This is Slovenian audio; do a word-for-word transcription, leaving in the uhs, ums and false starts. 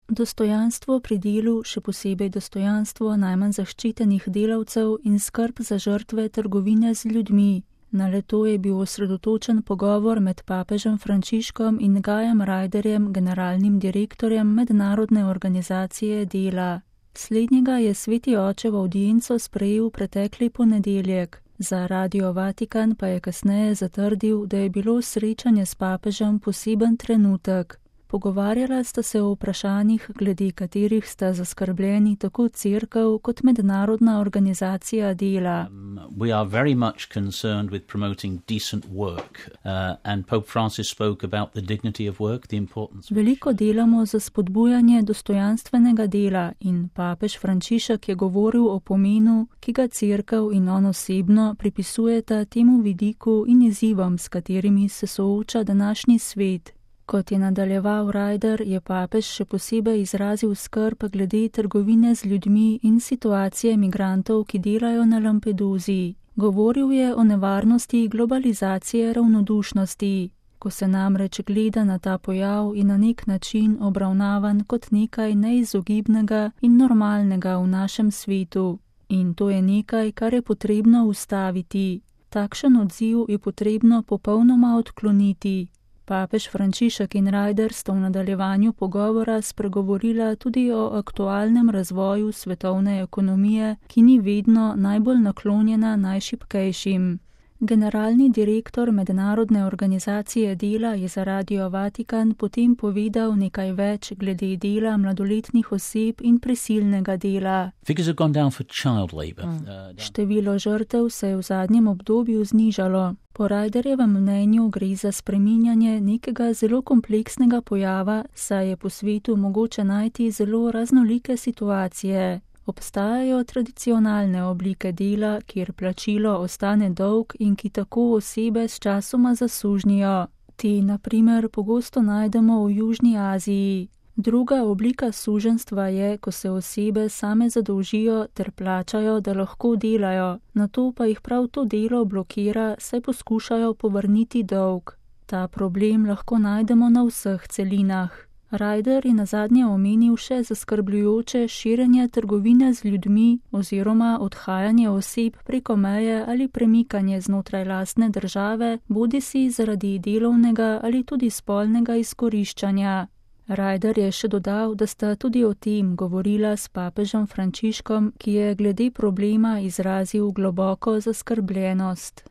Dostojanstvo pri delu, še posebej dostojanstvo najmanj zaščitenih delavcev in skrb za žrtve trgovine z ljudmi. Na le-to je bil osredotočen pogovor med papežem Frančiškom in Gajem Ryderjem, generalnim direktorjem Mednarodne organizacije dela. Slednjega je sveti oče v avdienco sprejel pretekli ponedeljek. Za Radio Vatikan pa je kasneje zatrdil, da je bilo srečanje s papežem poseben trenutek. Pogovarjala sta se o vprašanjih, glede katerih sta zaskrbljeni tako cerkev kot Mednarodna organizacija dela. Um, we are very much concerned with promoting decent work, uh, and Pope Francis spoke about the dignity of work, the importance. Veliko delamo za spodbujanje dostojanstvenega dela in papež Frančišek je govoril o pomenu, ki ga cerkev in on osebno pripisujeta temu vidiku in izzivom, s katerimi se sooča današnji svet. Kot je nadaljeval Ryder, je papež še posebej izrazil skrb glede trgovine z ljudmi in situacije migrantov, ki delajo na Lampeduzi. Govoril je o nevarnosti globalizacije ravnodušnosti. Ko se namreč gleda na ta pojav in na nek način obravnavan kot nekaj neizogibnega in normalnega v našem svetu. In to je nekaj, kar je potrebno ustaviti. Takšen odziv je potrebno popolnoma odkloniti. Papež Frančišek in Ryder sta v nadaljevanju pogovora spregovorila tudi o aktualnem razvoju svetovne ekonomije, ki ni vedno najbolj naklonjena najšibkejšim. Generalni direktor Mednarodne organizacije dela je za Radio Vatikan potem povedal nekaj več glede dela mladoletnih oseb in prisilnega dela. Figures have gone down for child labor. Mm. Uh, Število žrtev se je v zadnjem obdobju znižalo. Po Ryderjevem mnenju gre za spreminjanje nekega zelo kompleksnega pojava, saj je po svetu mogoče najti zelo raznolike situacije. Obstajajo tradicionalne oblike dela, kjer plačilo ostane dolg in ki tako osebe s časoma zasužnijo. Te, na primer, pogosto najdemo v Južni Aziji. Druga oblika suženjstva je, ko se osebe same zadolžijo ter plačajo, da lahko delajo, nato pa jih prav to delo blokira, saj poskušajo povrniti dolg. Ta problem lahko najdemo na vseh celinah. Ryder je nazadnje omenil še zaskrbljujoče širjenje trgovine z ljudmi oziroma odhajanje oseb preko meje ali premikanje znotraj lastne države, bodisi zaradi delovnega ali tudi spolnega izkoriščanja. Ryder je še dodal, da sta tudi o tem govorila s papežem Frančiškom, ki je glede problema izrazil globoko zaskrbljenost.